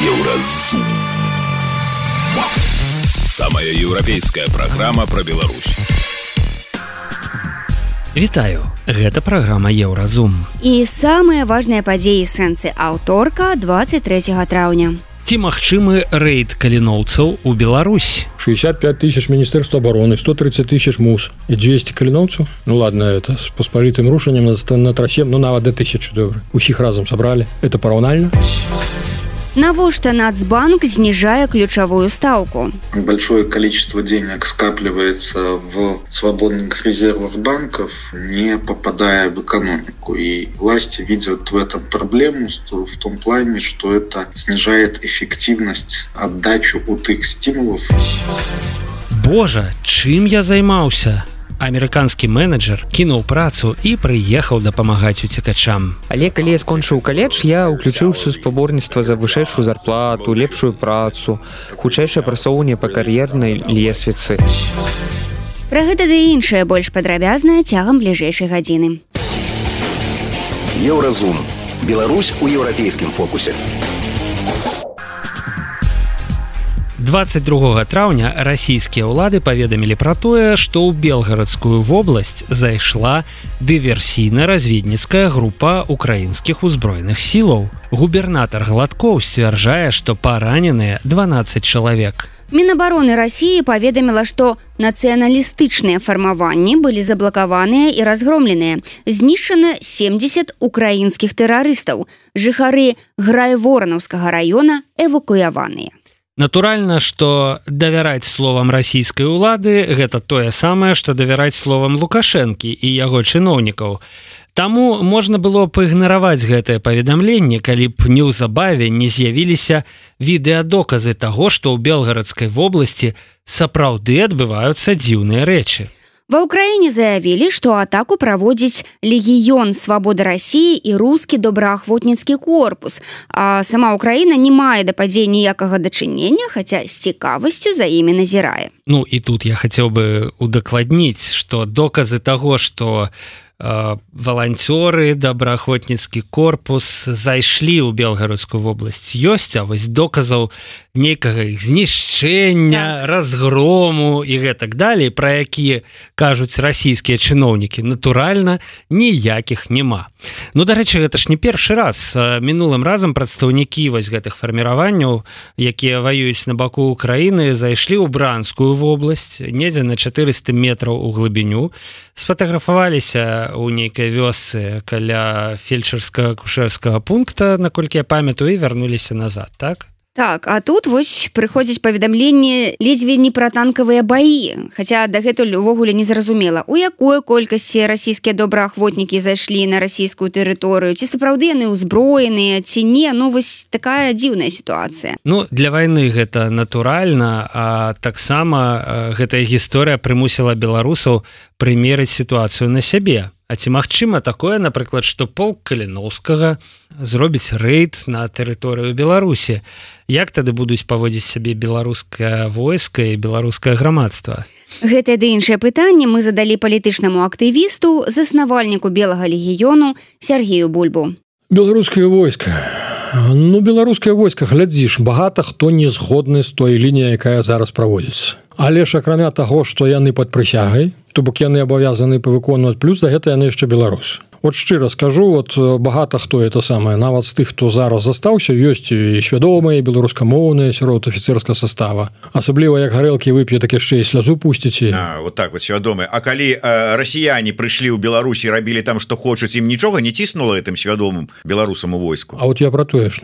Еўразум. Самая еўрапейская праграма пра Беларусь. Вітаю, гэта праграма Еўразум. І самыя важныя падзеі сэнсы аўторка 23 траўня. Ці магчымы рэйд каліноўцаў у Беларусь? 65 тысяч Министерства обороны, 130 тысяч МУС и 200 каліноўцаў. Ну ладно, это с паспалітым рушаннем на трасе, ну нават до 1000, добра. Усіх разом собрали. Это параўнальна? Навошта Нацбанк снижая ключевую ставку? Большое количество денег скапливается в свободных резервах банков, не попадая в экономику. И власти видят в этом проблему в том плане, что это снижает эффективность, отдачу от их стимулов. Боже, чым я займаўся? Амерыканскі менеджер кінуў працу і прыехаў дапамагаць уцекачам. Але калі я скончыў каледж, я ўключыўся ў спаборніцтва за вышэйшую зарплату, лепшую працу, хутчэйшае прасоўванне па кар'ернай лесвіцы. Пра гэта ды іншае больш падрабязна цягам бліжэйшай гадзіны. Еўразум. Беларусь у еўрапейскім фокусе. 22 траўня расійскія ўлады паведамілі пра тое, што ў Белгарадскую вобласць зайшла дыверсійна-разведніцкая група украінскіх узброеных сілаў. Губернатар Гладкоў сцвярджае, што параненыя 12 чалавек. Мінабароны Расіі паведаміла, што нацыяналістычныя фармаванні былі заблакаваныя і разгромленыя. Знішчана 70 украінскіх тэрарыстаў. Жыхары Грайворанаўскага раёна эвакуяваныя. Натуральна, што давяраць словам расійскай улады гэта тое самае, што давяраць словам Лукашэнкі і яго чыноўнікаў. Таму можна было б ігнараваць гэтае паведамленне, калі б неўзабаве не з'явіліся відэадоказы таго, што ў Белгарадскай вобласці сапраўды адбываюцца дзіўныя рэчы. Ва ўкраіне заявілі, што атаку праводзіць Легіён Свабоды Расіі і рускі добраахвотніцкі корпус, а сама Ўкраіна не мае да падзей ніякага дачынення, хаця з цікавасцю за імі назірае. Ну і тут я хацеў бы удакладніць, што доказы таго, што валанцёры, добраахвотніцкі корпус зайшлі ў Белгарадскую вобласць ёсць, а вось доказаў нейкага іх знішчэння, разгрому і гэтак далей, пра якія кажуць расійскія чыноўнікі, натуральна, ніякіх няма. Ну, дарэчы, гэта ж не першы раз. Мінулым разам прадстаўнікі вось гэтых фарміраванняў, якія ваююць на баку Украіны, зайшлі ў Бранскую вобласць, недзе на 400 метраў у глыбіню, сфотаграфаваліся у нейкай вёсцы каля фельчарска-акушэрскага пункта, наколькі я памятаю, і вярнуліся назад, так? Так, а тут вось прыходзіць паведамленне ледзьве не пра танкавыя баі, хаця дагэтуль увогуле не зразумела, у якой колькасці расійскія добраахвотнікі зайшлі на расійскую тэрыторыю, ці сапраўды яны ўзброеныя, ці не, ну вось такая дзіўная сітуацыя. Ну, для вайны гэта натуральна, а таксама гэтая гісторыя прымусіла беларусаў прымерыць сітуацыю на сябе. А ці магчыма такое, напрыклад, што полк Каліноўскага зробіць рэйд на тэрыторыю Беларусі? Як тады будуць паводзіць сябе беларускае войска і беларускае грамадства? Гэтае ды іншае пытанне мы задалі палітычнаму актывісту, заснавальніку Белага легіёну Сергею Бульбу. Беларускае войска. Ну, беларускае войска, глядзіш, багата хто не згодны з той лініяй, якая зараз праводзіцца. Але ж акрамя таго, што яны пад прысягай, то бок яны абавязаны выконваць, плюс да гэта яны яшчэ беларусы. От шчыра скажу, от багата хто это самае, нават з тых, хто зараз застаўся, ёсць і свядомыя, беларускамоўныя сярод афіцэрскага састава. Асабліва, як гарэлкі вып'е, так яшчэ і слязу пусціце. Вот так вот свядомыя. А калі расіяне прыйшлі ў Беларусі, рабілі там, што хочуць, ім нічога не ціснула гэтым свядомым беларусам у войску? А от я пра тое ж.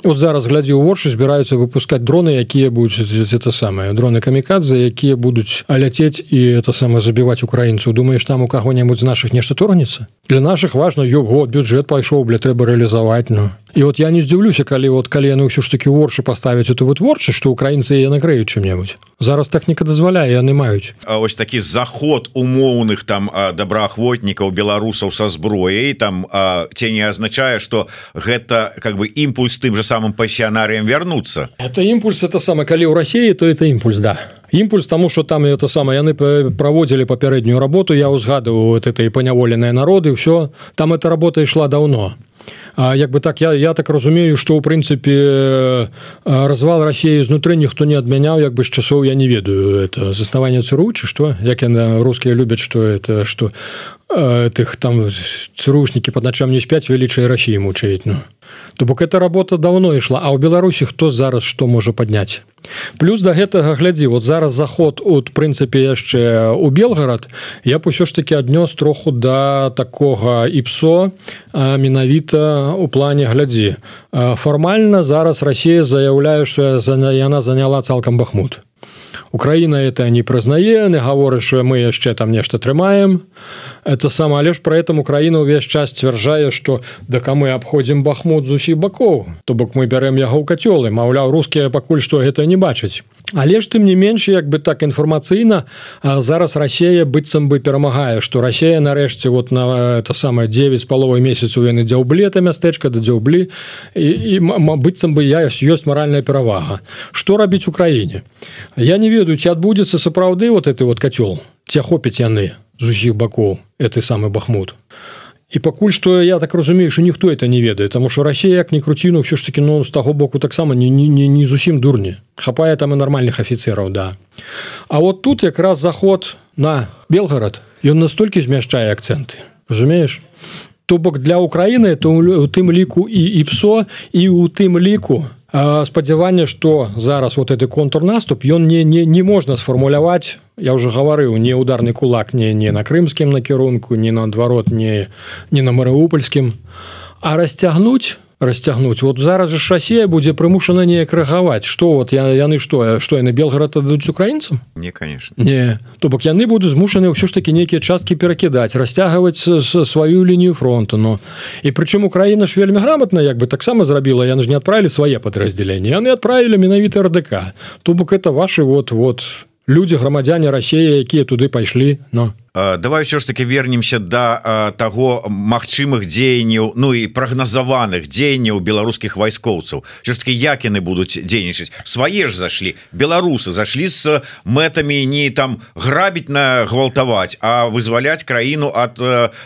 От зараз, глядзі, у Воршы збіраюцца выпускаць дроны, якія будуць, это самае, дроны камікадзе, якія будуць ляцець і это самае забіваць украінцаў. Думаеш, там у каго-небудзь з нашых нешта торгнецца? Для нашых важна, бюджэт пайшоў, трэба рэалізаваць, ну. І от я не здзіўлюся, калі яны ўсё ж такі ў Воршы паставяць эту вытворчасць, што украінцы яе накрыюць чым-небудзь. Зараз тэхніка дазваляе, яны маюць. А ось такі заход умоўных там добраахвотнікаў беларусаў са зброяй, там ці не азначае, што гэта как бы імпульс тым же самым пасіянарыям вярнуцца. Это імпульс, это самае, калі ў Расіі, то это імпульс, да. Імпульс таму, што там это самае, яны праводзілі папярэднюю работу, я ўзгадываю вот это і паняволеныя народы, ўсё, там эта работа ішла даўно. як бы так я так разумею, што ў прынцыпе развал России знутры ніхто не адмяняў, як бы з часоў я не ведаю это заснаванне ЦРУ ці што, як яны рускія любяць, што это што тых там ЦРУшнікі пад начам не спяць, велічай России мучаюць. Ну то бок эта работа давно ішла, а ў Беларусі хто зараз што можа падняць. Плюс да гэтага глядзі, вот зараз заход от прынцыпе яшчэ у Белгарад я б усё ж таки аднёс троху да такога ІПСО менавіта у плане глядзі. Фармальна зараз Россия заяўляе, што яна заняла цалкам Бахмут. Украина это не прызнае, не гаворыць, што мы яшчэ там нешта трымаем. Это сама, але ж пры этом Украина ўвесь час сцвярджае, што дака мы абходзім Бахмут з усіх бакоў, то бок мы бярэм яго ў кацёлы, маўляў, рускія пакуль што гэта не бачаць. Але ж тым не менш, як бы так інфармацыйна зараз Россия быццам бы перамагае, што Россия нарэшце вот на это самае 9,5 месяцаў яны дзяўблі это мястэчка да дзяўблі і быццам бы ёсць маральная перавага. Што рабіць Украіне? Я не ведаю, ці адбудзецца сапраўды вот гэты вот кацёл, ці ахопяць яны з усіх бакоў гэты самы Бахмут. І пакуль што я так разумею, што ніхто это не ведае, таму што Россия як ні круціну ўсё ж таки з таго боку таксама не зусім дурні. Хапае там і нармальных афіцераў, да. А вот тут якраз заход на Белгарад, ён настолькі змяшчае акцэнты. Разумееш? То бок для Украіны то у тым ліку і ІПСО, і у тым ліку спадзяванне, што зараз вот гэты контрнаступ ён не можна сфармуляваць, я ўжо гаварыў, не ударны кулак не на крымскім накірунку, не наадварот не на марыупольскім, а расцягнуць. Вот зараз же Россия будзе прымушана неяк рэагаваць. Што вот яны што яны Белгарад аддадуць украінцам? Не, конечно. Не, то бок яны будуць змушаны ўсё ж такі нейкія часткі перакідаць, расцягваць сваю лінію фронту. Ну і прычым Украіна ж вельмі грамотна як бы таксама зрабіла, яны ж не адправілі свае падраздзяленні, яны адправілі менавіта РДК. То бок это ваши вот людзі, грамадзяне России, якія туды пайшлі. Ну давай все ж таки вернемся до таго магчымых дзеянняў, ну і прагназаваных дзеянняў беларускіх вайскоўцаў. Все ж таки як яны будуць дзейнічаць? Свае ж зашлі, беларусы зашлі з мэтамі не там грабіць гвалтаваць, а вызваляць краіну ад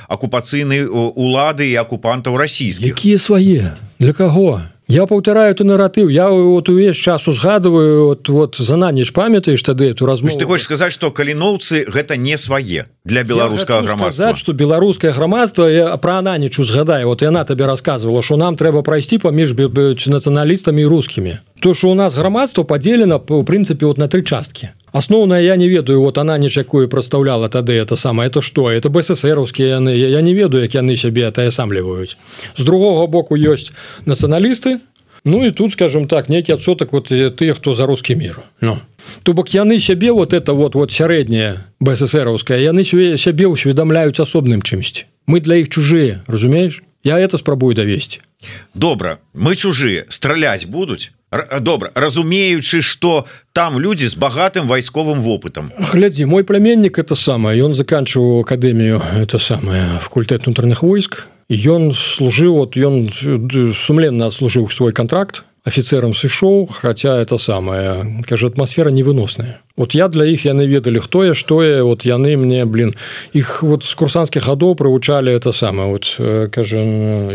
акупацыйнай улады і акупантаў расійскіх. Якія свае? Для каго? Я паўтараю tu наратыў. Я вот увесь час узгадываю вот за на ніч памятаеш тады эту размову. Ты хочаш сказаць, што каліноўцы гэта не свае для беларускага грамадства? Сказаць, што беларускае грамадства пра Ананічу згадае. Вот яна табе расказвала, што нам трэба прайсці паміж нацыяналістамі і рускімі. То, што у нас грамадства падзелена у прынцыпе вот на 3 часткі. Асноўная я не ведаю, вот Ананіч, якую прадстаўляла тады это самае, это што? Это БССРаўскія яны, я не ведаю, як яны сябе атаясамліваюць. З другога боку ёсць нацыяналісты, ну і тут, скажем так, нейкі адсотак вот тыя, хто за рускі мір. Ну. То бок яны сябе вот это вот сярэдняе БССРаўскае, яны сябе ўсведамляюць асобным чымсьці. Мы для іх чужыя, разумееш? Я это спрабую давесці. Добра, мы чужыя, страляць будуць? Добра, разумеючы, што там людзі з багатым вайсковым вопытам. Глядзі, мой племяннік это самае, ён заканчиваў акадэмію это самае факультэт унутраных войск. Ён служыў, вот ён сумленна адслужыў свой контракт, офіцерам сышоў, хаця это самае, кажа, атмасфера невыносная. Вот я для іх яны ведалі хто я, што я, вот яны мне, іх вот з курсантскіх гадоў прывучалі это самае, вот кажа,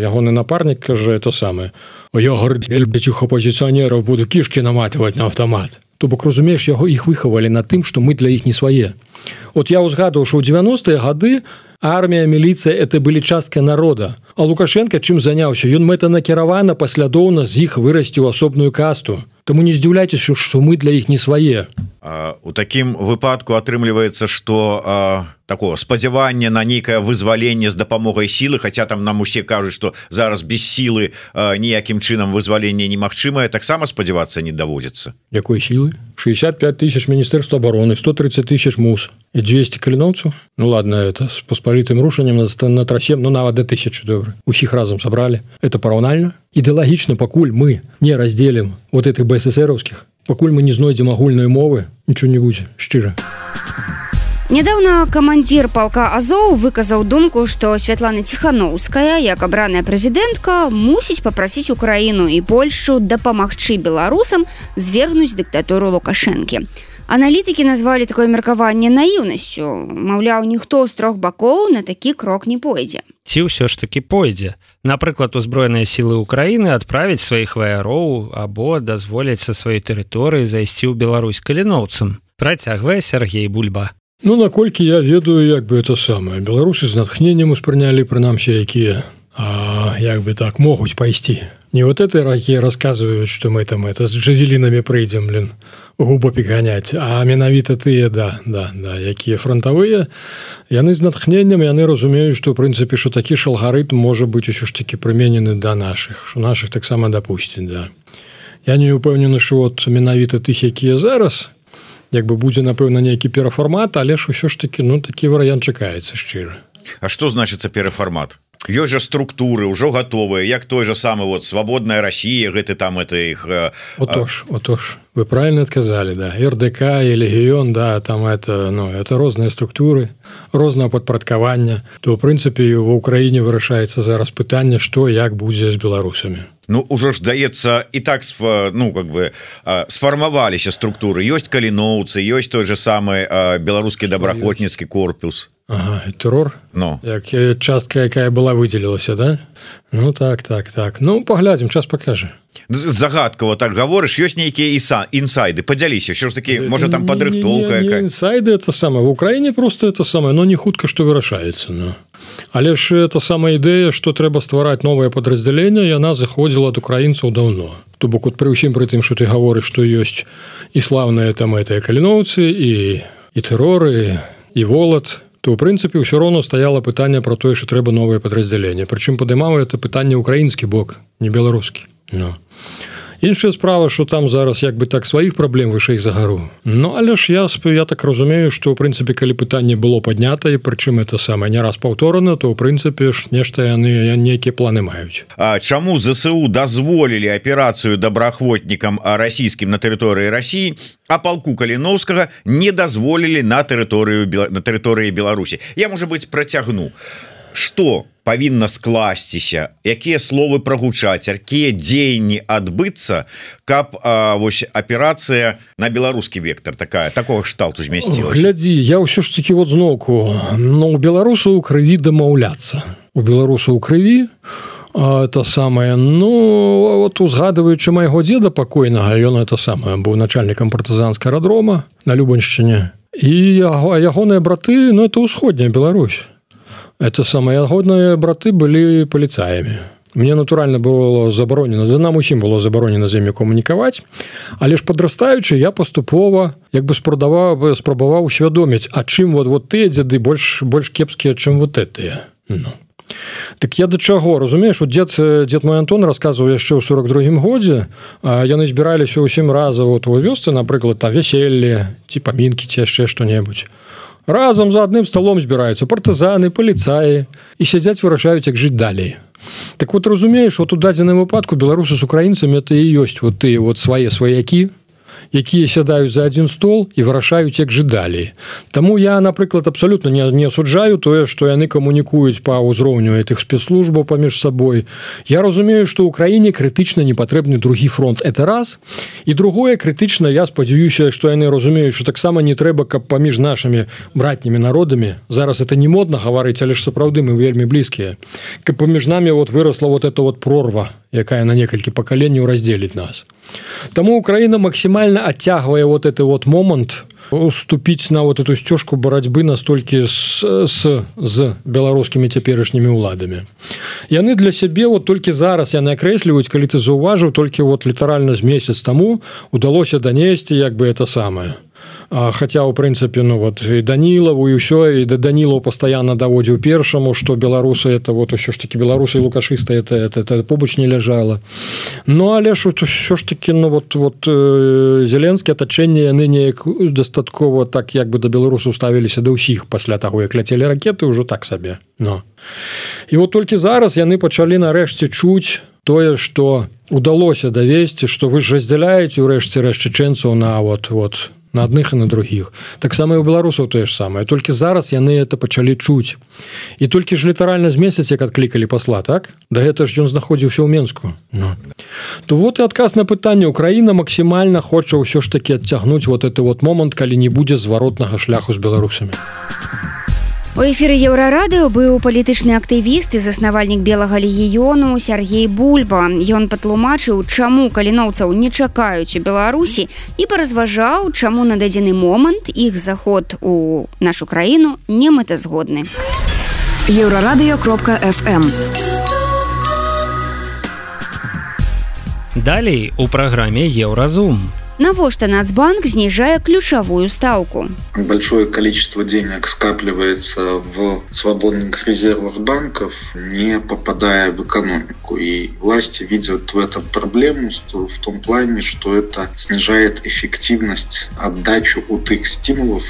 ягоны напарнік кажа это самае. Я говорю, этих оппозиционеров буду кишки наматывать на автомат. То бок, разумееш, іх выхавалі на тым, што мы для іх не свае. Вот я узгадываў, што ў 90-е гады армія, міліцыя это былі частка народа. А Лукашенко чым заняўся? Ён мэтанакіравана паслядоўна з іх вырасціў асобную касту. Таму не здзіўляйцеся, што мы для іх не свае. У такім выпадку атрымліваецца, што такого спадзявання на нейкае вызваленне з дапамогай сілы, хаця там нам усе кажуць, што зараз без сілы ніякім чынам вызваленне немагчымае, таксама спадзявацца не даводзіцца. Якой сілы? 65 тысяч Міністэрства обороны, 130 тысяч МУС і 200 каліноўцаў? Ну ладно, это с паспалітым рушаннем на трасе, ну нават до 1000, добра. Усіх разом собрали. Это параўнальна? Ідэалагічна, пакуль мы не разделим вот этих БССРовских, пакуль мы не знойдзем агульнай мовы, нічого не будзе, шчыра. Нядаўна камандзір палка Азоў выказаў думку, што Святлана Ціхановская, як абраная прэзідэнтка, мусіць папрасіць Украіну і Польшчу дапамагчы беларусам звергнуць дыктатуру Лукашэнкі. Аналітыкі назвалі такое меркаванне наіўнасцю. Маўляў, ніхто з 3 бакоў на такі крок не пойдзе. ці ўсё ж таки пойдзе. Напрыклад, узброеныя сілы Украіны адправіць сваіх ваяроў або дазволіць са сваёй тэрыторыі зайсці ў Беларусь каліноўцам. Працягвае Сергей Бульба. Ну, наколькі я ведаю, як бы это самае. Беларусы з натхненнем успрынялі, прынамсі, якія, як бы так, могуць пайсці. Не вот этой ракі рассказывают, что мы там это с джавелинами прыйдзем, губопік ганяць, а менавіта тыя, да, якія фронтавыя, яны з натхненнем, яны разумеюць, што, ў прынцыпе, што такі ж алгарытм можа быць усё ж такі прыменены да нашых, што нашых таксама дапусцяць, да. Я не ўпэўнены, што от менавіта тых, якія зараз, як бы будзе, напэўна, нейкі перафармат, але ж усё ж такі, ну, такі варыянт чакаецца шчыра. А што значыцца перафармат? Ёсць жа структуры ўжо гатовыя, як той же самы вот свабодная Расія, гэты там это іх Отож, вы правильно сказали, да, РДК і легіён, да, там это, ну, это розныя структуры, рознае падпарадкаванне, то ў прынцыпе ва ўкраіне вырашаецца зараз пытанне, што як будзе з беларусамі. Ну, ўжо ж даецца і так, ну, как бы сфармаваліся структуры, ёсць каліноўцы, ёсць той же самы беларускі добраахвотніцкі корпус. Ага, тэрор? Ну. Як частка, якая была выдзелілася, да? Ну, так. Ну, паглядзім, час пакажа. Загадкава так гаворыш, ёсць нейкія інсайды, падзяліся, що ж такі, можа там падрыхтоўка якая? Не інсайды, это самае, в Украіне просто это самае, но не хутка, што вырашаецца, ну. Але ж это самая ідэя, што трэба ствараць новае падраздзяленне, яна заходзіла ад украінцаў даўно. То бок, пры ўсім пры тым, што ты гаворыш, што ёсць і слаўныя там гэтыя каліноўцы, і тэроры, і волат, то, ў прынцыпе, ўсё роўна стаяла пытанне пра тое, што трэба новае падраздзяленне. Прычым падымаў это пытанне ўкраінскі бок, не беларускі. No. Іншая справа, што там зараз як бы так сваіх праблем вышэй за гару. Ну, але ж я так разумею, што ў прынцыпе, калі пытанне было паднята, і прычым это самае не раз паўторана, то ў прынцыпе ж нешта яны нейкія планы маюць. А чаму ЗСУ дазволілі аперацыю добраахвотнікам расійскім на тэрыторыі Расіі, а палку Каліноўскага не дазволілі на тэрыторыі Беларусі? Я, можа быць, працягну. Што павінна скласціся, якія словы прагучаць, якія дзеянні адбыцца, каб вось аперацыя на беларускі вектор такого кшталту змясцілася? Глядзі, я ўсё ж такі вот зноўку, ну, у беларусаў у крыві дамаўляцца. У беларусаў у крыві это самае, ну, вот узгадываючы майго дзеда пакойнага, ён это самае быў начальнікам партызанскага аэрадрома на Любаншчыне, і ягоныя браты, ну, это ўсходняя Беларусь. Это самые ягодныя браты былі паліцаямі. Мне, натуральна, было забаронена, нам усім было забаронена з імі камунікаваць, але ж падрастаючы, я паступова як бы спрабаваў усвядоміць, а чым вот тыя дзеды больш кепскія, чым вот этыя. Ну. Так я да чаго, разумееш, вот дзед мой Антон расказваў яшчэ ў 42-м годзе, яны збіраліся ўсім разам вот у вёсцы, напрыклад, там вяселле, ці памінкі, ці яшчэ што-небудзь. Разам за адным сталом збіраюцца партызаны, паліцаі і сядзяць, вырашаюць, як жыць далей. Так вот, разумееш, вот у дадзеным выпадку беларусы з украінцамі это і ёсць вот тыя вот свае сваякі, якія сядаюць за адзін стол і вырашаюць, як жыць далей. Таму я, напрыклад, абсалютна не асуджаю тое, што яны камунікуюць па ўзроўню гэтых спецслужбаў паміж сабой. Я разумею, што ў краіне крытычна не патрэбны другі фронт. Это раз. І другое, крытычна, я спадзяюся, што яны разумеюць, што таксама не трэба, каб паміж нашымі братнімі народамі, зараз это не модна гаварыць, але ж сапраўды мы вельмі блізкія, каб паміж намі вот вырасла вот эта вот прорва, якая на некалькі пакаленняў раздзеліць нас. Таму Украіна максімальна адцягвае вот этот вот момант уступіць на вот эту сцёжку барацьбы настолькі з беларускімі цяперашнімі ўладамі. Яны для сябе вот толькі зараз яны акрэсліваюць, калі ты заўважыў, толькі вот літаральна з месяц таму удалося данесці як бы это самае. Хаця, у прынцыпе, ну вот і Данілаву і ўсё, і Данілаў пастаянна даводзіў першаму, што беларусы это вот усё ж такі беларусы і лукашысты это побач не ляжала. Ну але ж усё ж такі, ну вот Зеленскі атачэнне яны неяк дастаткова так як бы да беларусаў ставіліся да ўсіх пасля таго, як ляцелі ракеты, ўжо так сабе. Ну. І вот толькі зараз яны пачалі нарэшце чуць тое, што удалося давесці, што вы ж раздзяляеце ўрэшце рэшт чэчэнцаў на вот на адных і на другіх. Таксама і ў беларусаў тое ж самае. Толькі зараз яны это пачалі чуць. І толькі ж літаральна з месяц, як адклікалі пасла, так? Да гэта ж ён знаходзіўся ў Менску. Ну. То вот і адказ на пытанне. Украіна максімальна хоча ўсё ж такі адцягнуць вот гэты вот момант, калі не будзе зваротнага шляху з беларусамі. У эфіры Еўрарадыё быў палітычны актывіст і заснавальнік Белага легіёну Сергей Бульба. Ён патлумачыў, чаму каліноўцаў не чакаюць у Беларусі і паразважаў, чаму на дадзены момант іх заход у нашу краіну не мэтазгодны. Еўрарадыё.фм. Далей у праграме Еўразум. Навошта Нацбанк снижая ключевую ставку? Большое количество денег скапливается в свободных резервах банков, не попадая в экономику. И власти видят в этом проблему в том плане, что это снижает эффективность, отдачу от их стимулов.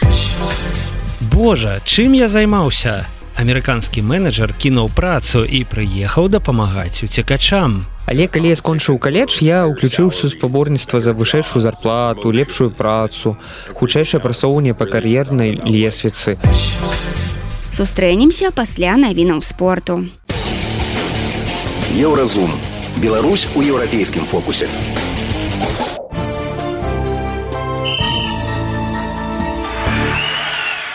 Боже, чым я займаўся? Амерыканскі менеджер кінуў працу і прыехаў дапамагаць уцекачам. Але калі я скончыў каледж, я ўключыўся ў спаборніцтва за вышэйшую зарплату, лепшую працу, хутчэйшае прасоўванне па кар'ернай лесвіцы. Сустрэнемся пасля навінаў спорту. Еўразум. Беларусь у еўрапейскім фокусе.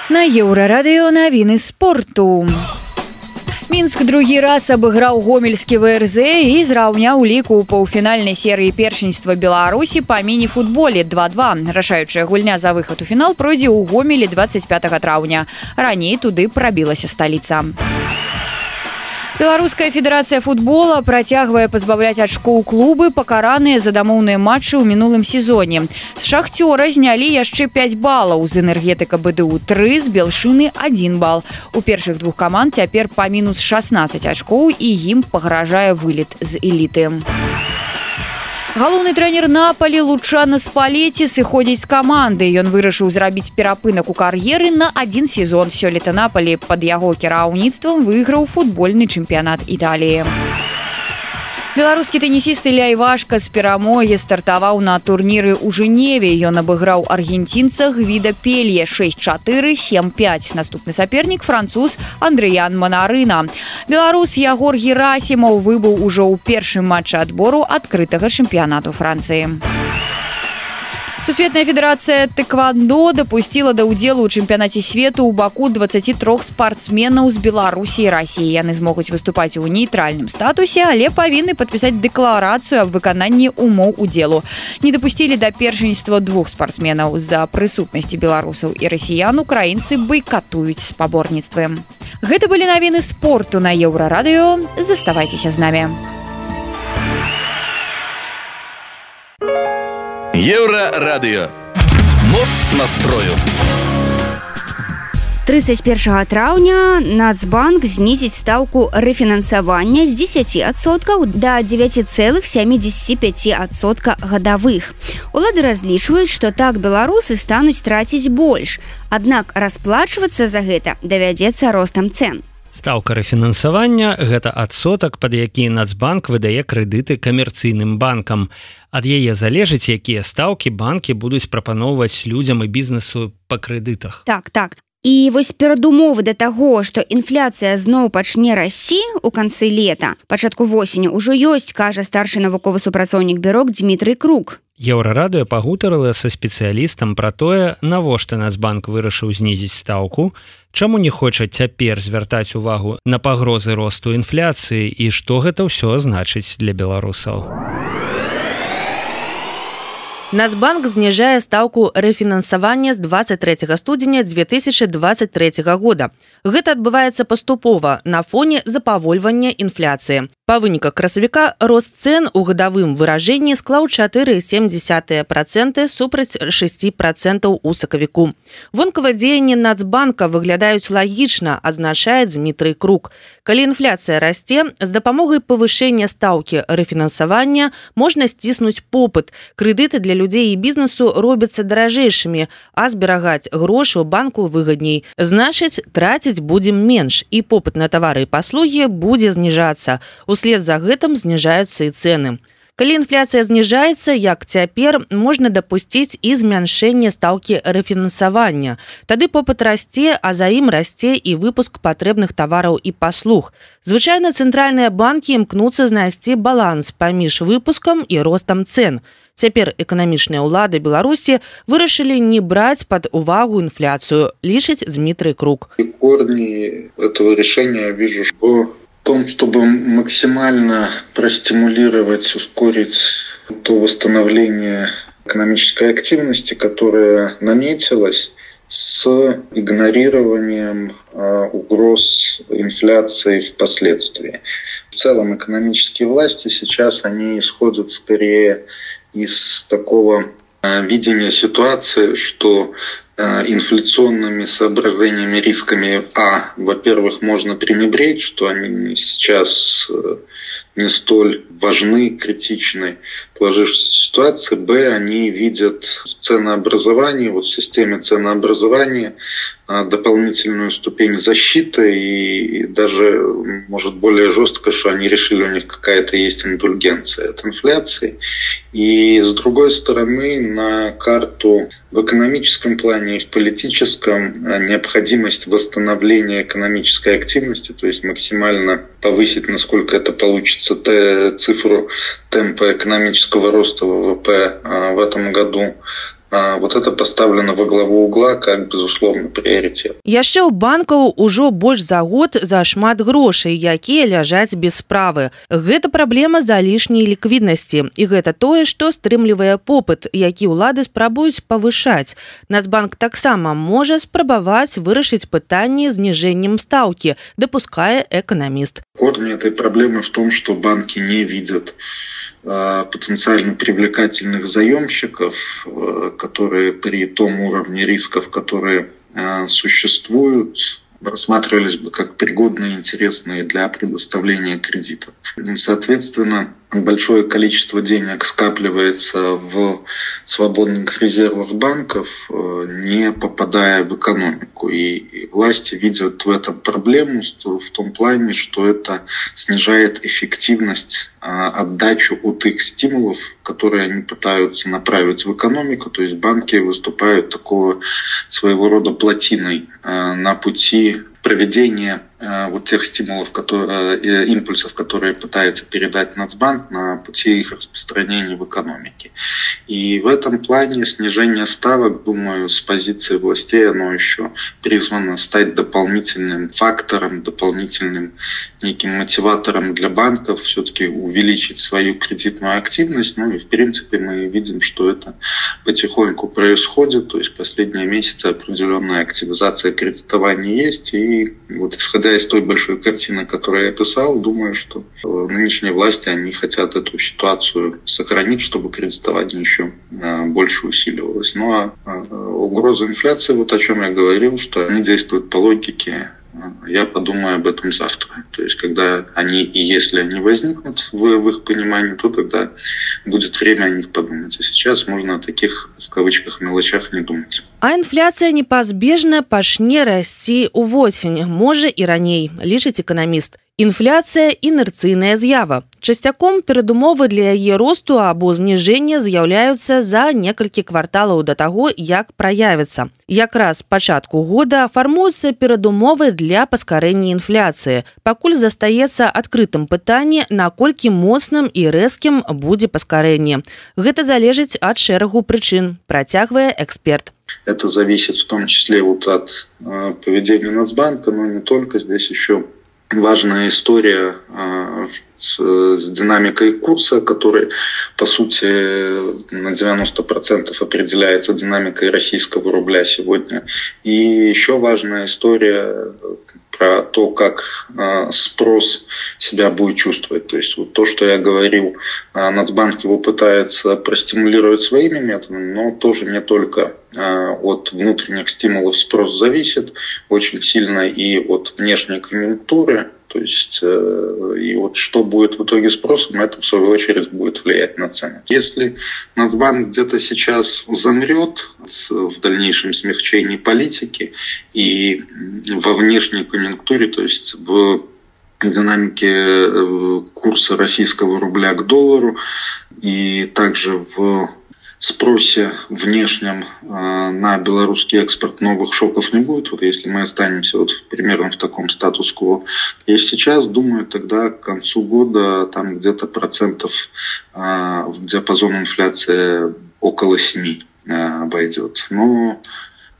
На Еўрарадыё навіны спорту. Мінск другі раз абыграў гомельскі ВРЗ і зраўняў ліку ў паўфінальнай серыі першынства Беларусі па міні-футболе 2-2. Рашаючая гульня за выхад у фінал пройдзе ў Гомелі 25 траўня. Раней туды прабілася сталіца. Беларуская федэрацыя футбола працягвае пазбаўляць ачкоў клубы, пакараныя за дамоўныя матчы ў мінулым сезоне. З Шахцёра знялі яшчэ 5 балаў, з Энергетыка БДУ 3, з Белшыны 1 бал. У першых двух каманд цяпер па мінус 16 ачкоў і ім пагражае вылет з эліты. Галоўны трэнер Напалі Лучано Спалеці сыходзіць з каманды. Ён вырашыў зрабіць перапынак у кар'еры на 1 сезон. Сёлета Напалі пад яго кіраўніцтвам выйграў футбольны чэмпіянат Італіі. Беларускі тэнісіст Ілля Івашка з перамогі стартаваў на турніры ў Жэневе. Ён абыграў аргенцінца Гвіда Пелье 6-4, 7-5. Наступны сапернік француз Андрыян Манарына. Беларус Ягор Герасімаў выбыў ужо ў першым матчы адбору адкрытага чэмпіянату Францыі. Сусветная федэрацыя тэквандо дапусціла да ўдзелу ў чэмпіянаце свету ў Баку 23 спартсменаў з Беларусі і Расіі. Яны змогуць выступаць у нейтральным статусе, але павінны падпісаць дэкларацыю аб выкананні умоў удзелу. Не дапусцілі да першынства 2 спартсменаў. З-за прысутнасці беларусаў і расіян украінцы байкатуюць спаборніцтвы. Гэта былі навіны спорту на Еўрарадыё. Заставайцеся з намі. Еўрарадыё. Моц настрою. 31 траўня Нацбанк знізіць стаўку рэфінансавання з 10% да 9,75% гадавых. Улады разлічваюць, што так беларусы стануць траціць больш. Аднак расплачвацца за гэта давядзецца ростам цэн. Стаўка рэфінансавання – гэта адсотак, пад які Нацбанк выдае крэдыты камерцыйным банкам. Ад яе залежыць, якія стаўкі банкі будуць прапаноўваць людзям і бізнесу па крэдытах. Так. І вось перадумовы да таго, што інфляцыя зноў пачне расці ў канцы лета, пачатку восені ўжо ёсць, кажа старшы навуковы супрацоўнік бюро Дмітрый Крук. Еўрарадыё пагутарыла са спецыялістам пра тое, навошта Нацбанк вырашыў знізіць стаўку, чаму не хоча цяпер звяртаць увагу на пагрозы росту інфляцыі і што гэта ўсё значыць для беларусаў. Нацбанк зніжае стаўку рэфінансавання з 23 студзеня 2023 года. Гэта адбываецца паступова на фоне запавольвання інфляцыі. Па выніках красавіка рост цэн у гадавым выражэнні склаў 4,7% супраць 6% у сакавіку. Вонкавыя дзеянні Нацбанка выглядаюць лагічна, азначае Дмітрый Крук. Калі інфляцыя расце, з дапамогай павышэння стаўкі рэфінансавання можна сціснуць попыт. Крэдыты для людзей і бізнесу робяцца даражэйшымі, а зберагаць грошы ў банку выгадней. Значыць, траціць будзем менш, і попыт на тавары і паслугі будзе зніжацца. Услед за гэтым зніжаюцца і цэны. Калі інфляцыя зніжаецца, як цяпер, можна дапусціць і змяншэнне стаўкі рэфінансавання. Тады попыт расце, а за ім расце і выпуск патрэбных тавараў і паслуг. Звычайна цэнтральныя банкі імкнуцца знайсці баланс паміж выпускам і ростам цен. Цяпер эканамічныя ўлады Беларусі вырашылі не браць пад увагу инфляцию, лишить Дмитрий Круг. Корни этого решения я вижу в том, чтобы максимально простимулировать, ускорить то восстановление экономической активности, которое наметилось с игнорированием угроз инфляции впоследствии. В целом экономические власти сейчас они исходят скорее из такого видения ситуации, что инфляционными соображениями, рисками, во-первых, можно пренебречь, что они сейчас не столь важны, критичны в сложившейся ситуации, они видят в ценообразовании, в системе ценообразования дополнительную ступень защиты и даже, может, более жестко, что они решили, у них какая-то есть индульгенция от инфляции. И, с другой стороны, на карту в экономическом плане и в политическом необходимость восстановления экономической активности, то есть максимально повысить, насколько это получится, цифру темпа экономического роста ВВП в этом году. Вот это поставлено во главу угла как, безусловно, приоритет. Яшчэ ў банкаў ужо больш за год зашмат грошай, якія ляжаць без справы. Гэта праблема залішняй ліквіднасці. І гэта тое, што стрымлівае попыт, які ўлады спрабуюць павышаць. Нацбанк таксама можа спрабаваць вырашыць пытанне зніжэннем стаўкі, дапускае эканаміст. Корень этой проблемы в том, что банки не видят потенциально привлекательных заемщиков, которые при том уровне рисков, которые существуют, рассматривались бы как пригодные и интересные для предоставления кредитов. Соответственно, большое количество денег скапливается в свободных резервах банков, не попадая в экономику. И власти видят в этом проблему в том плане, что это снижает эффективность, отдачу от их стимулов, которые они пытаются направить в экономику. То есть банки выступают такого своего рода плотиной на пути проведения вот тех стимулов, импульсов, которые пытается передать Нацбанк на пути их распространения в экономике. И в этом плане снижение ставок, думаю, с позиции властей, оно еще призвано стать дополнительным фактором, дополнительным неким мотиватором для банков все-таки увеличить свою кредитную активность. Ну и в принципе мы видим, что это потихоньку происходит. То есть последние месяцы определенная активизация кредитования есть. И вот исходя из той большой картины, которую я описал, думаю, что нынешние власти, они хотят эту ситуацию сохранить, чтобы кредитование еще больше усиливалось. Ну а угроза инфляции, вот о чем я говорил, что они действуют по логике, я подумаю об этом завтра. То есть, когда они и если они возникнут в их понимании, то тогда будет время о них подумать. А сейчас можно о таких, в кавычках, мелочах не думать. А інфляцыя непазбежна пачне расці ўвосень, можа і раней, лічыць эканаміст. Інфляцыя – інерцыйная з'ява. Часцяком перадумовы для яе росту або зніжэння з'яўляюцца за некалькі кварталаў да таго, як праявіцца. Якраз з пачатку года фармуюцца перадумовы для паскарэння інфляцыі. Пакуль застаецца адкрытым пытанне, наколькі моцным і рэзкім будзе паскарэнне. Гэта залежыць ад шэрагу прычын, працягвае эксперт. Это зависит в том числе вот от поведения Нацбанка, но не только. Здесь еще важная история с динамикой курса, который, по сути, на 90% определяется динамикой российского рубля сегодня. И еще важная история про то, как спрос себя будет чувствовать. То есть вот то, что я говорил, Нацбанк его пытается простимулировать своими методами, но тоже не только от внутренних стимулов спрос зависит очень сильно и от внешней конъюнктуры. То есть, и вот что будет в итоге спросом, это в свою очередь будет влиять на цены. Если Нацбанк где-то сейчас замрет в дальнейшем смягчении политики и во внешней конъюнктуре, то есть в динамике курса российского рубля к доллару и также в спросе внешнем на белорусский экспорт новых шоков не будет. Вот если мы останемся вот примерно в таком статус-кво, я сейчас думаю, тогда к концу года там где-то процентов диапазон инфляции около 7 обойдет. Но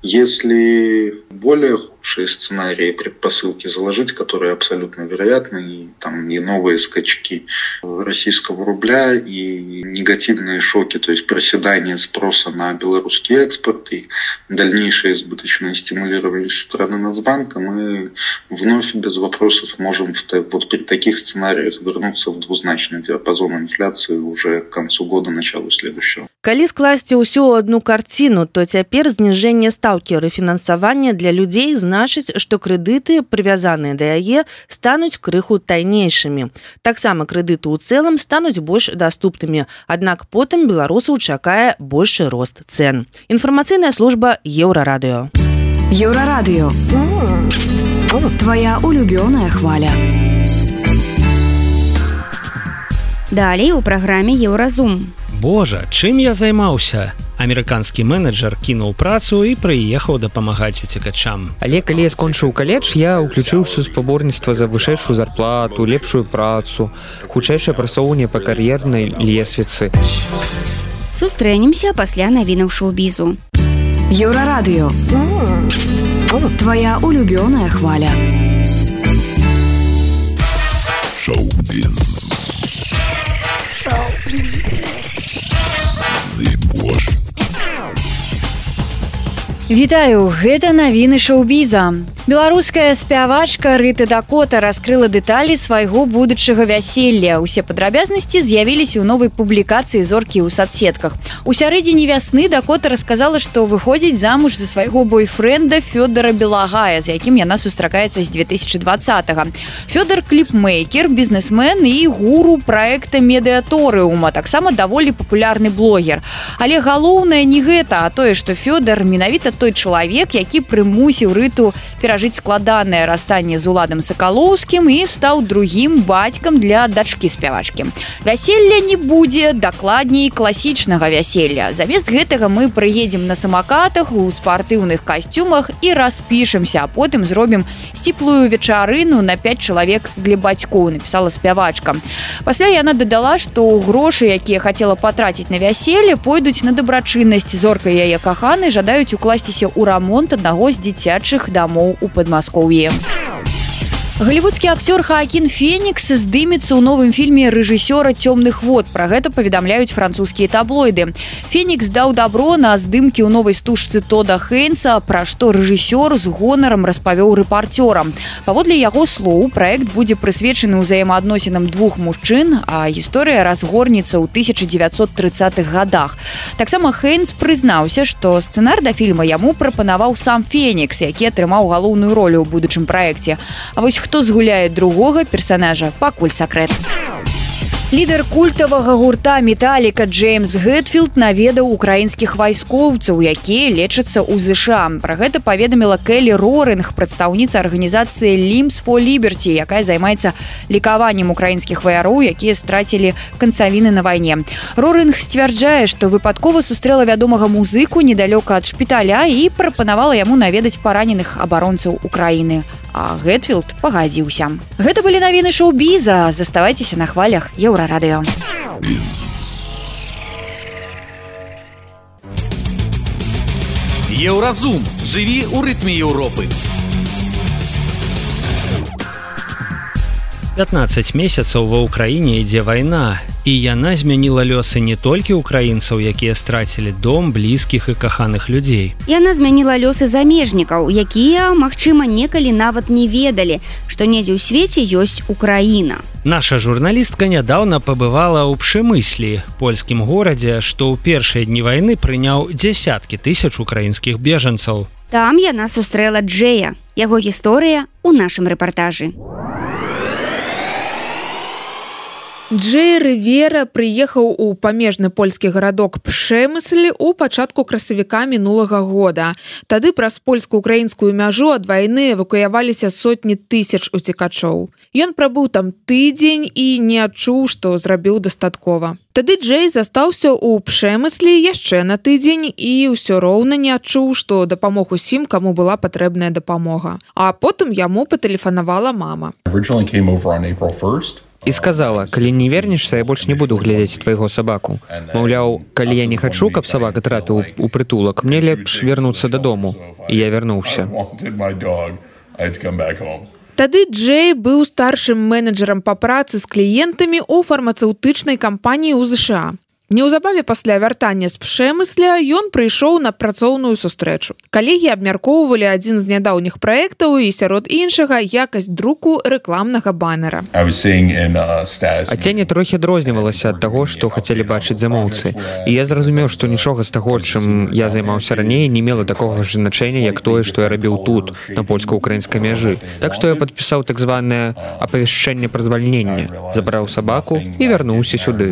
если более худшие сценарии, предпосылки заложить, которые абсолютно вероятны, и там и новые скачки российского рубля, и негативные шоки, то есть проседание спроса на белорусский экспорт и дальнейшее избыточное стимулирование со стороны Нацбанка, мы вновь без вопросов можем вот при таких сценариях вернуться в двузначный диапазон инфляции уже к концу года, началу следующего. Калі скласці ўсю одну карціну, то цяпер зніжэнне стаўкі рэфінансавання для людзей значыць, што крэдыты, прывязаныя да яе, стануць крыху тайнейшымі. Таксама крэдыты ў цэлым стануць больш даступнымі, аднак потым беларусаў чакае большы рост цэн. Інфармацыйная служба Еўрарадыё. Еўрарадыё. Твоя улюбёная хваля. Далей у праграме Еўразум. Божа, чым я займаўся? Амерыканскі менеджер кінуў працу і прыехаў дапамагаць уцекачам. Але калі я скончыў каледж, я ўключыўся ў спаборніцтва за вышэйшую зарплату, лепшую працу, хутчэйшае прасоўванне па кар'ернай лесвіцы. Сустрэнемся пасля навінаў шоу-бізу. Еўрарадыё. Твоя улюбёная хваля. Шоу-біз. Вітаю, гэта навіны шоу-біза. Беларуская спявачка Рыта Дакота раскрыла дэталі свайго будучага вяселля. Усе падрабязнасці з'явіліся ў новай публікацыі зоркі ў садсетках. У сярэдзіне вясны Дакота расказала, што выходзіць замуж за свайго бойфрэнда Фёдора Белагая, з якім яна сустракаецца з 2020-го. Фёдор кліпмейкер, бізнесмен і гуру праекта Медыаторыума, таксама даволі папулярны блогер. Але галоўнае не гэта, а тое, што Фёдор менавіта той чалавек, які прымусіў Рыту перажыць складанае расстанне з Уладам Сакалоўскім і стаў другім бацькам для дачкі спявачкі. Вяселля не будзе, дакладней класічнага вяселля. Замест гэтага мы прыедзем на самакатах, у спартыўных касцюмах і распішемся, а потым зробім сціплую вечарыну на 5 чалавек для бацькоў, напісала спявачка. Пасля яна дадала, што грошы, якія хацела патраціць на вяселле, пойдуць на дабрачыннасць. Зорка і яе каханы жадаюць укласціся ў рамонт аднаго з дзіцячых дамоў у Падмаскоўі. Голливудскі актёр Хаакін Фенікс здымецца ў новым фільме рэжысёра «Цёмных вод». Пра гэта паведамляюць французскія таблоiды. Фенікс даў дабро на здымкі ў новай стужцы Тода Хейнса, пра што рэжысёр з гонарам распавёў рэпарцёрам. Паводле яго слоў, праект будзе прысвечаны ўзаемаадносінам двух мужчын, а гісторыя разгорнецца ў 1930-х годах. Таксама Хейнс прызнаўся, што сцэнар да фільма яму прапанаваў сам Фенікс, які атрымаў галоўную ролю ў будучым праекце. А вось хто згуляе другога персонажа, пакуль сакрэт. Лідар культавага гурта «Металіка» Джеймс Гэтфілд наведаў украінскіх вайскоўцаў, якія лечацца ў ЗША. Пра гэта паведаміла Келі Роринг, прадстаўніца арганізацыі Limbs for Liberty, якая займаецца лікаваннем украінскіх ваяроў, якія страцілі канцавіны на вайне. Роринг сцвярджае, што выпадкова сустрэла вядомага музыку недалёка ад шпіталя і прапанавала яму наведаць параненых абаронцаў Украіны. А Гэтфілд пагадзіўся. Гэта былі навіны шоу-біза. Заставайцеся на хвалях Еўрарадыё. Еўразум. Жыві ў рытме Еўропы. 15 месяцаў ва ўкраіне ідзе вайна, і яна змяніла лёсы не толькі ўкраінцаў, якія страцілі дом, блізкіх і каханых людзей. Яна змяніла лёсы замежнікаў, якія, магчыма, некалі нават не ведалі, што недзе ў свеце ёсць Украіна. Наша журналістка нядаўна пабывала ў Пшемыслі, польскім горадзе, што ў першыя дні вайны прыняў дзесяткі тысяч украінскіх бежанцаў. Там яна сустрэла Джэя. Яго гісторыя ў нашым рэпартажы. Джэй Рывера прыехаў у памежны польскі гарадок Пшэмысль у пачатку красавіка мінулага года. Тады праз польско-украінскую мяжу ад вайны эвакуяваліся сотні тысяч уцекачоў. Ён прабыў там тыдзень і не адчуў, што зрабіў дастаткова. Тады Джэй застаўся ў Пшэмыслі яшчэ на тыдзень і ўсё роўна не адчуў, што дапамог усім, каму была патрэбная дапамога. А потым яму патэлефанавала мама. І сказала, калі не вернешся, я больш не буду глядзець твайго сабаку. Маўляў, калі я не хачу, каб сабака трапіў у прытулак, мне лепш вярнуцца дадому. І я вярнуўся. Тады Джэй быў старшым менеджерам па працы з кліентамі ў фармацэўтычнай кампаніі ў ЗША. Неўзабаве пасля вяртання з Пшэмысля ён прыйшоў на працоўную сустрэчу. Калегі абмяркоўвалі адзін з нядаўніх праектаў і сярод іншага якасць друку рэкламнага банера. Аценне трохі адрознівалася ад таго, што хацелі бачыць замоўцы. І я зразумеў, што нічога з таго, чым я займаўся раней, не мела такога ж значэння, як тое, што я рабіў тут, на польска-украінскай мяжы. Так што я падпісаў так званае апавяшчэнне пра звальненне, забраў сабаку і вярнуўся сюды.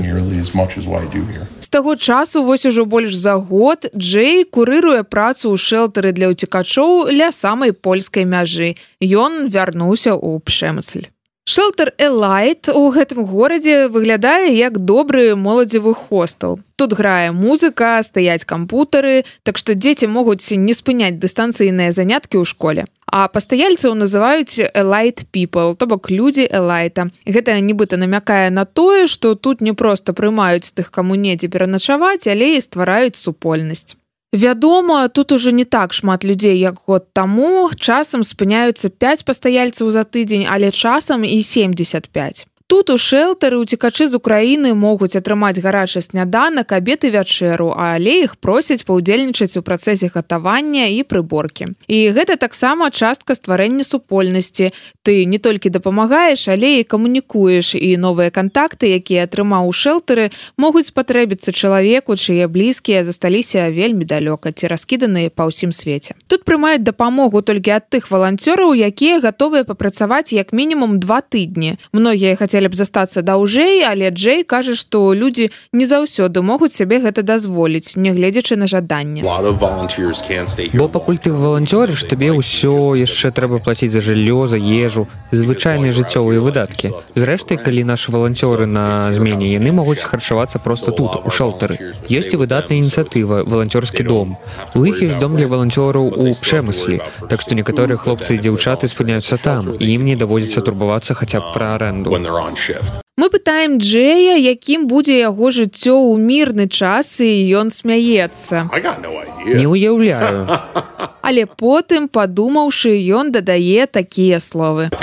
З таго часу, вось ужо больш за год, Джэй курыруе працу ў шэлтары для ўцекачоў ля самай польскай мяжы. Ён вярнуўся ў Пшэмысль. Шэлтар Элайт у гэтым горадзе выглядае як добры моладзевы хостел. Тут грае музыка, стаяць кампутары, так што дзеці могуць не спыняць дыстанцыйныя заняткі ў школе. А пастаяльцаў называюць Elite People, то бок людзі Элайта. Гэта нібыта намякае на тое, што тут не проста прымаюць тых, каму недзе пераначаваць, але і ствараюць супольнасць. Вядома, тут ужо не так шмат людзей, як год таму. Часам спыняюцца 5 пастаяльцаў за тыдзень, але часам і 75. Тут у шэлтары уцекачы з Украіны могуць атрымаць гарачы сняданак, абед і вячэру, але іх просяць паўдзельнічаць у працэсе гатавання і прыборкі. І гэта таксама частка стварэння супольнасці. Ты не толькі дапамагаеш, але і камунікуеш, і новыя кантакты, якія атрымаў у шэлтары, могуць спатрэбіцца чалавеку, чые блізкія засталіся вельмі далёка ці раскіданыя па ўсім свеце. Тут прымаюць дапамогу толькі ад тых валанцёраў, якія гатовыя папрацаваць як мінімум 2 тыдні. Многія хацелі б застацца даўжэй, але Джэй кажа, што людзі не заўсёды могуць сябе гэта дазволіць, нягледзячы на жаданне. Бо пакуль ты валанцёрыш, табе ўсё яшчэ трэба плаціць за жыллё, за ежу, звычайныя жыццёвыя выдаткі. Зрэшты, калі нашы валанцёры на змене, яны могуць харчавацца проста тут, у шэлтары. Ёсць і выдатная ініцыятыва «Валанцёрскі дом». У іх ёсць дом для валанцёраў у Пшэмыслі, так што некаторыя хлопцы і дзяўчаты спыняюцца там, і ім не даводзіцца турбавацца хаця б пра арэнду. Мы пытаем Джэя, якім будзе яго жыццё ў мірны час, і ён смяецца. Не ўяўляю. Але потым, падумаўшы, ён дадае такія словы.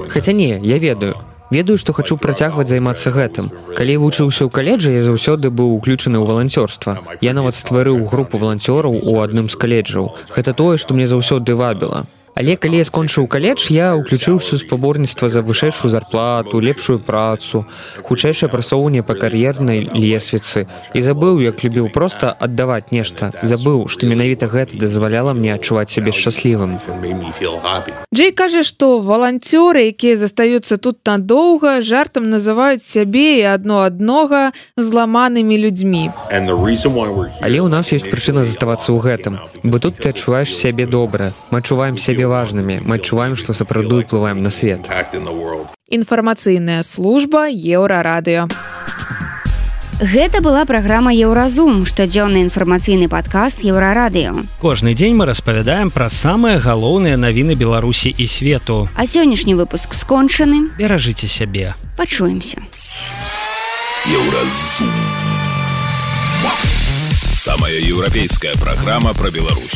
Хаця не, я ведаю. Ведаю, што хачу працягваць займацца гэтым. Калі вучыўся ў каледжы, я заўсёды быў уключаны ў валанцёрства. Я нават стварыў групу валанцёраў у адным з каледжаў. Гэта тое, што мне заўсёды вабіла. Але калі я скончыў каледж, я ўключыўся ў спаборніцтва за вышэйшую зарплату, лепшую працу, хутчэйшае прасоўванне па кар'ернай лесвіцы. І забыў, як любіў проста аддаваць нешта. Забыў, што менавіта гэта дазваляла мне адчуваць сябе шчаслівым. Джэй кажа, што валанцёры, якія застаюцца тут надоўга, жартам называюць сябе і адно-аднога зламанымі людзьмі. Але ў нас ёсць прычына заставацца ў гэтым. Бо тут ты адчуваеш сябе добра. Мы адчуваем сябе важнымі. Мы адчуваем, што сапраўды ўплываем на свет. Інфармацыйная служба Еўрарадыё. Гэта была праграма Еўразум, штодзённы інфармацыйны падкаст Еўрарадыё. Кожны дзень мы распавядаем пра самыя галоўныя навіны Беларусі і свету. А сённяшні выпуск скончаны. Беражыце сябе. Пачуемся. Еўразум. Самая еўрапейская праграма пра Беларусь.